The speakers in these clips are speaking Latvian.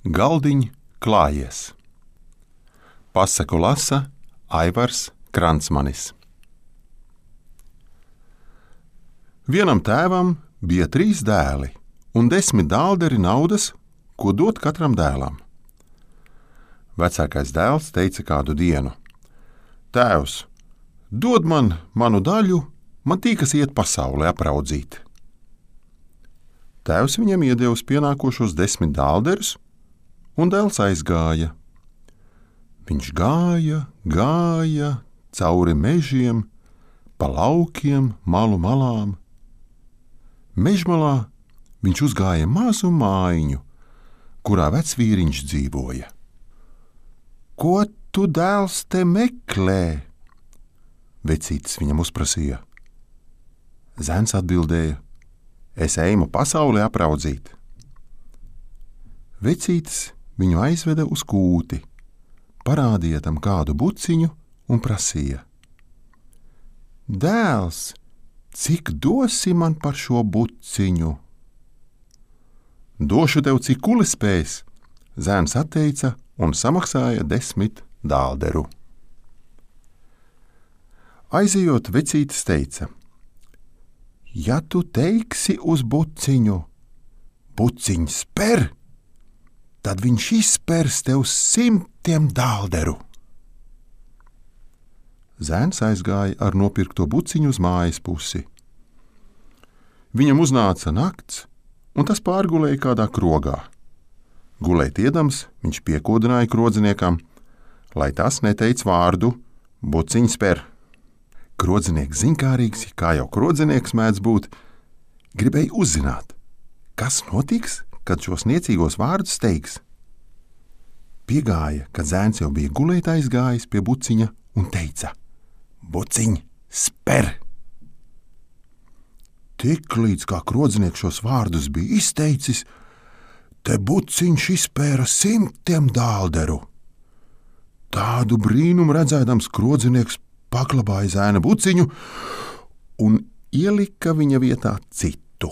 Galdiņ klājies. Pasaku lasa Aivars Kransmanis. Vienam tēvam bija 3 dēli un 10 dālderi naudas, ko dot katram dēlam. Vecākais dēls teica kādu dienu: Tēvs, dod man manu daļu, man tīkas iet pasauli apraudzīt. Tēvs viņam iedevis pienākošos 10 dālderus, un dēls aizgāja. Viņš gāja cauri mežiem, pa laukiem, malu malām. Mežmalā viņš uzgāja mazu mājiņu, kurā vecvīriņš dzīvoja. Ko tu, dēls, te meklē? Vecītis viņam uzprasīja. Zēns atbildēja: Es eju pasauli apraudzīt. Vecītis viņu aizveda uz kūti, parādīja tam kādu buciņu un prasīja: Dēls, cik dosi man par šo buciņu? Došu tev, cik kulis spēs, zēns atteica un samaksāja 10 dālderu. Aizejot, vecītis teica: Ja tu teiksi uz buciņu, buciņš sper, tad viņš izspers tev 100 dālderu. Zēns aizgāja ar nopirkto buciņu uz mājas pusi. Viņam uznāca nakts, un tas pārgulēja kādā krogā. Gulēt iedams, viņš piekodināja krodziniekam, lai tas neteic vārdu buciņš sper. Krodzinieks zinkārīgs, kā jau krodzinieks mēdz būt, gribēja uzzināt, kas notiks, kad šos niecīgos vārdus teiks. Piegāja, kad zēns jau bija gulēt aizgājis pie buciņa un teica: Buciņ, sper! Tiklīdz kā krodzinieks šos vārdus bija izteicis, te buciņš izpēra 100 dālderu. Tādu brīnumu redzēdams, krodzinieks paklabāja zēna buciņu un ielika viņa vietā citu.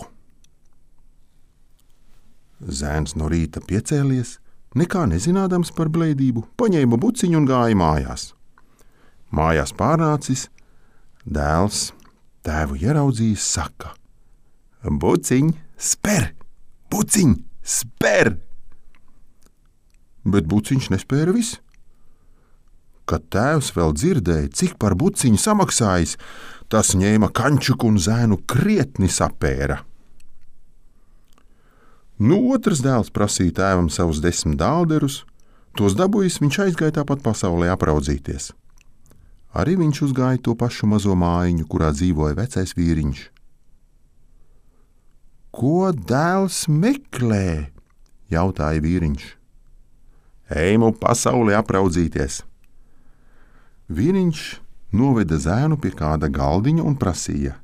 Zēns no rīta piecēlies, nekā nezinādams par blēdību, paņēma buciņu un gāja mājās. Mājās pārnācis, dēls tēvu ieraudzījis, saka: Buciņ, sper! Buciņ, sper! Bet buciņš nespēra viss. Kad tēvs vēl dzirdēja, cik par buciņu samaksājis, tas ņēma kančuku un zēnu krietni sapēra. Otrs dēls prasīja tēvam savus 10 dālderus, tos dabūjis, viņš aizgāja tāpat pasaulē apraudzīties. Arī viņš uzgāja to pašu mazo mājiņu, kurā dzīvoja vecais vīriņš. Ko dēls meklē? Jautāja vīriņš. Eju pasaulē apraudzīties. Vīriņš noveda zēnu pie kāda galdiņa un prasīja: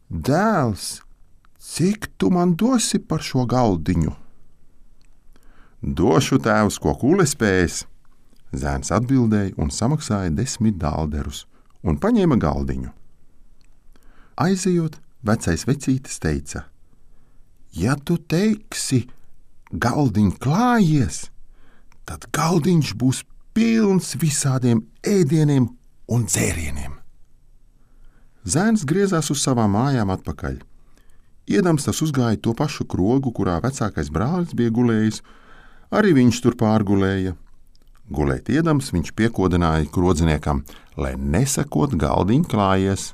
Dēls, cik tu man dosi par šo galdiņu? Došu, tēvs, ko kulis spēs. Zēns atbildēja un samaksāja 10 dālderus un paņēma galdiņu. Aizejot, vecais vecītis teica: Ja tu teiksi, galdiņ klājies, tad galdiņš būs pilns visādiem ēdieniem un dzērieniem. Zēns griezās uz savām mājām atpakaļ. Iedams tas uzgāja to pašu krogu, kurā vecākais brālis bija gulējis, arī viņš tur pārgulēja. Gulēt iedams, viņš piekodināja krodziniekam, lai nesakot galdiņ klājies,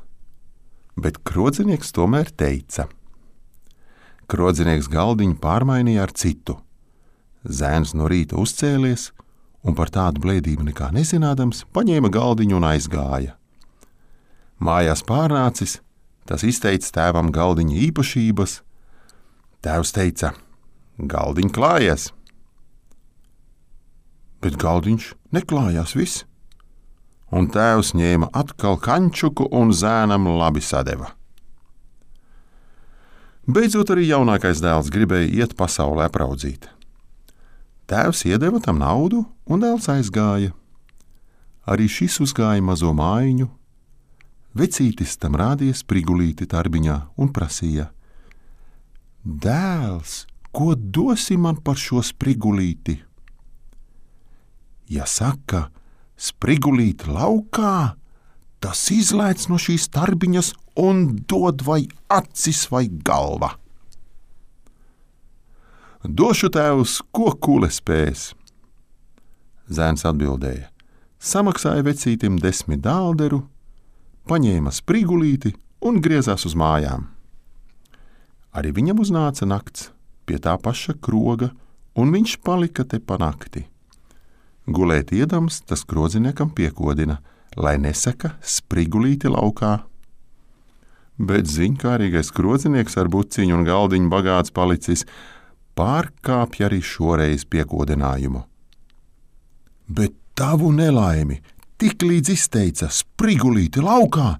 bet krodzinieks tomēr teica. Krodzinieks galdiņu pārmainīja ar citu. Zēns no rīta uzcēlies un par tādu blēdību nekā nezinādams, paņēma galdiņu un aizgāja. Mājās pārnācis, tas izteica tēvam galdiņa īpašības. Tēvs teica: Galdiņ klājies! Bet galdiņš neklājās viss, un tēvs ņēma atkal kančuku un zēnam labi sadeva. Beidzot arī jaunākais dēls gribēja iet pasaulē apraudzīt. Tēvs iedeva tam naudu, un dēls aizgāja. Arī šis uzgāja mazo mājiņu. Vecītis tam rādīja sprigulīti tarbiņā un prasīja: Dēls, ko dosi man par šo sprigulīti? Ja saka, sprigulīt laukā, tas izlaic no šīs tarbiņas un dod vai acis vai galva. Došu tēvs, ko kule spēs. Zēns atbildēja, samaksāja vecītim 10 dālderu, paņēma sprigulīti un griezās uz mājām. Arī viņam uznāca nakts pie tā paša kroga, un viņš palika te pa nakti. Gulēt iedams, tas krodziniekam piekodina, lai nesaka sprigulīti laukā. Bet ziņkārīgais krodzinieks ar buciņu un galdiņu bagāts palicis, pārkāpja arī šoreiz piekodinājumu. Bet tavu nelaimi tiklīdz izteica sprigulīti laukā,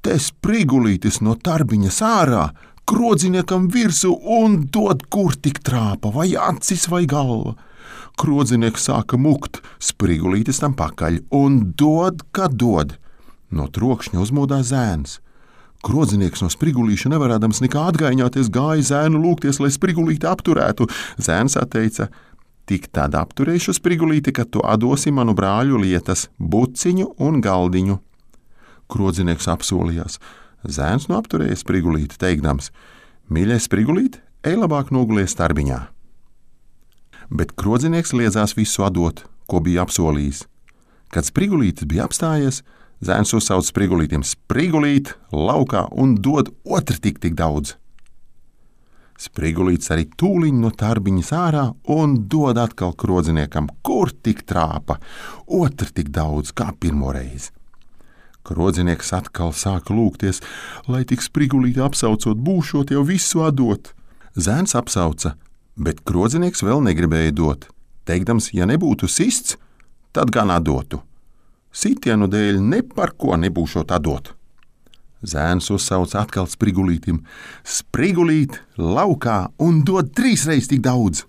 te sprigulītis no tarbiņas ārā, krodziniekam virsū un dod kur tik trāpa, vai acis vai galva. Krodzinieks sāka mukt, sprigulītis tam pakaļ un dod, ka dod. No trokšņa uzmodās zēns. Krodzinieks no sprigulīša nevarēdams nekā atgaiņāties gāja zēnu lūgties, lai sprigulīti apturētu. Zēns atteica, tik tad apturēšu sprigulīti, kad tu atdosi manu brāļu lietas, buciņu un galdiņu. Krodzinieks apsolījās. Zēns no apturēja sprigulīti, teikdams, mīļais sprigulīti, ej labāk nogulies tarbiņā. Bet krodzinieks liedzās visu atdot, ko bija apsolījis. Kad sprigulītis bija apstājies, zēns uzsauc sprigulītiem sprigulīt laukā un dod otru tik daudz. Sprigulītis arī tūliņ no tarbiņas ārā un dod atkal krodziniekam, kur tik trāpa, otru tik daudz kā pirmoreiz. Krodzinieks atkal sāka lūgties, lai tik sprigulīti apsaucot būšot jau visu atdot. Zēns apsauca, bet krodzinieks vēl negribēja dot, teikdams, ja nebūtu sists, tad gan atdotu. Sitienu dēļ ne par ko nebūšot atdot. Zēns uzsauc atkal sprigulītim, sprigulīt laukā un dod 3 reizes tik daudz.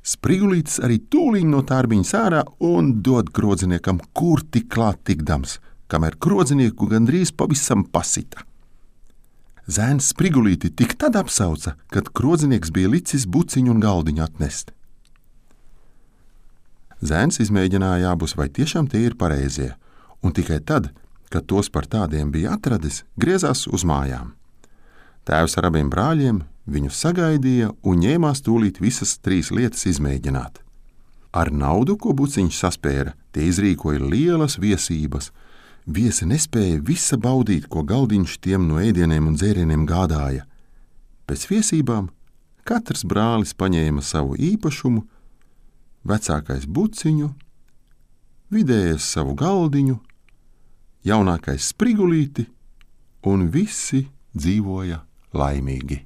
Sprigulītis arī tūliņ no tarbiņas ārā un dod krodziniekam, kur tik klāt tikdams, kamēr krodzinieku gandrīz pavisam pasita. Zēns sprigulīti tik tad apsauca, kad krodzinieks bija licis buciņu un galdiņu atnest. Zēns izmēģināja abus, vai tiešām tie ir pareizie, un tikai tad, kad tos par tādiem bija atradis, griezās uz mājām. Tēvs ar abiem brāļiem viņu sagaidīja un ņēmās tūlīt visas 3 lietas izmēģināt. Ar naudu, ko buciņš saspēra, tie izrīkoja lielas viesības. Viesi nespēja visa baudīt, ko galdiņš tiem no ēdieniem un dzērieniem gādāja. Pēc viesībām katrs brālis paņēma savu īpašumu, vecākais buciņu, vidējais savu galdiņu, jaunākais sprigulīti, un visi dzīvoja laimīgi.